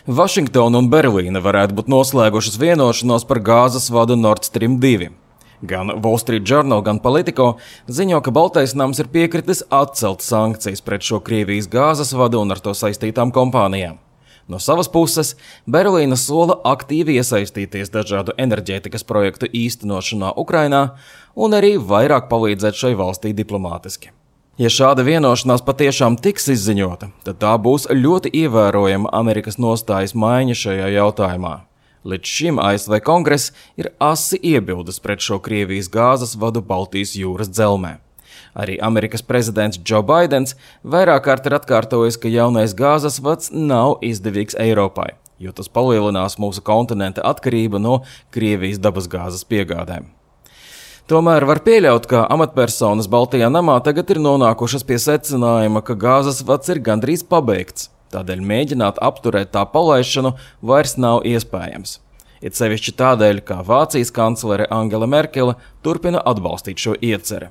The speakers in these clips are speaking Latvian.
Vašingtona un Berlīne varētu būt noslēgušas vienošanos par gāzes vadu Nord Stream 2. Gan Wall Street Journal, gan Politico ziņo, ka Baltais nams ir piekritis atcelt sankcijas pret šo Krievijas gāzes vadu un ar to saistītām kompānijām. No savas puses, Berlīne sola aktīvi iesaistīties dažādu enerģētikas projektu īstenošanā Ukrainā un arī vairāk palīdzēt šai valstī diplomātiski. Ja šāda vienošanās patiešām tiks izziņota, tad tā būs ļoti ievērojama Amerikas nostājas maiņa šajā jautājumā. Līdz šim ASV Kongress ir asi iebildes pret šo Krievijas gāzes vadu Baltijas jūras dzelmē. Arī Amerikas prezidents Joe Baidens vairāk kārt ir atkārtojis, ka jaunais gāzes vads nav izdevīgs Eiropai, jo tas palielinās mūsu kontinenta atkarību no Krievijas dabasgāzes piegādēm. Tomēr var pieļaut, ka amatpersonas Baltijā namā tagad ir nonākušas pie secinājuma, ka gāzes vads ir gandrīz pabeigts, tādēļ mēģināt apturēt tā palaišanu vairs nav iespējams. It sevišķi tādēļ, ka Vācijas kanclere Angela Merkele turpina atbalstīt šo ieceri.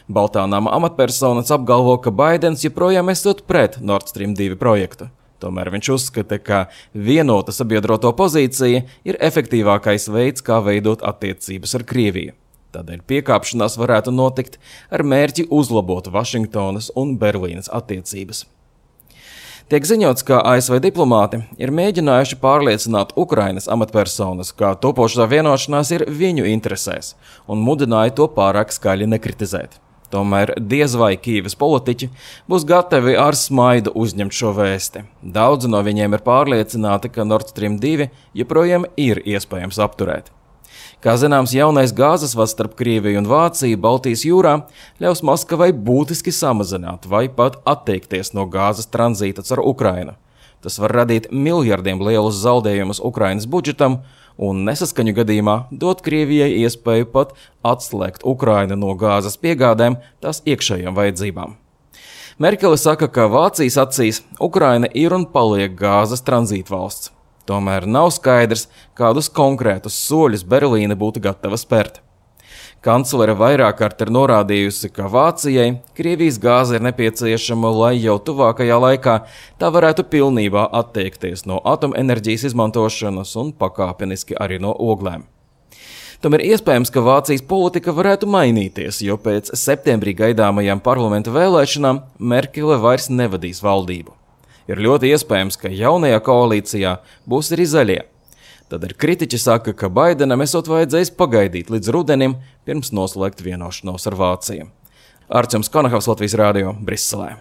Baltā nama amatpersonas apgalvo, ka Baidens joprojām esot pret Nord Stream 2 projektu. Tomēr viņš uzskata, ka vienota sabiedroto pozīcija ir efektīvākais veids, kā veidot attiecības ar Krieviju. Tādēļ piekāpšanās varētu notikt ar mērķi uzlabot Vašingtonas un Berlīnes attiecības. Tiek ziņots, ka ASV diplomāti ir mēģinājuši pārliecināt Ukrainas amatpersonas, ka topošā vienošanās ir viņu interesēs, un mudināja to pārāk skaļi nekritizēt. Tomēr diez vai Kīivas politiķi būs gatavi ar smaidu uzņemt šo vēsti. Daudzi no viņiem ir pārliecināti, ka Nord Stream 2 joprojām ir iespējams apturēt. Kā zināms, jaunais gāzes vads starp Krieviju un Vāciju Baltijas jūrā ļaus Maskavai būtiski samazināt vai pat atteikties no gāzes tranzīta caur Ukrainu. Tas var radīt miljardiem lielus zaudējumus Ukrainas budžetam un nesaskaņu gadījumā dot Krievijai iespēju pat atslēgt Ukrainu no gāzes piegādēm tās iekšējām vajadzībām. Merkele saka, ka Vācijas acīs Ukraina ir un paliek gāzes tranzītvalsts. Tomēr nav skaidrs, kādus konkrētus soļus Berlīne būtu gatava spērt. Kanclere vairāk kārt ir norādījusi, ka Vācijai Krievijas gāze ir nepieciešama, lai jau tuvākajā laikā tā varētu pilnībā atteikties no atomenerģijas izmantošanas un pakāpeniski arī no oglēm. Tomēr iespējams, ka Vācijas politika varētu mainīties, jo pēc septembrī gaidāmajām parlamenta vēlēšanām Merkele vairs nevadīs valdību. Ir ļoti iespējams, ka jaunajā koalīcijā būs arī zaļie. Tad ir kritiķi saka, ka Baidenam esot vajadzējis pagaidīt līdz rudenim, pirms noslēgt vienošanos ar Vāciju. Arčuns Konahavs, Latvijas Rādio, Briselē.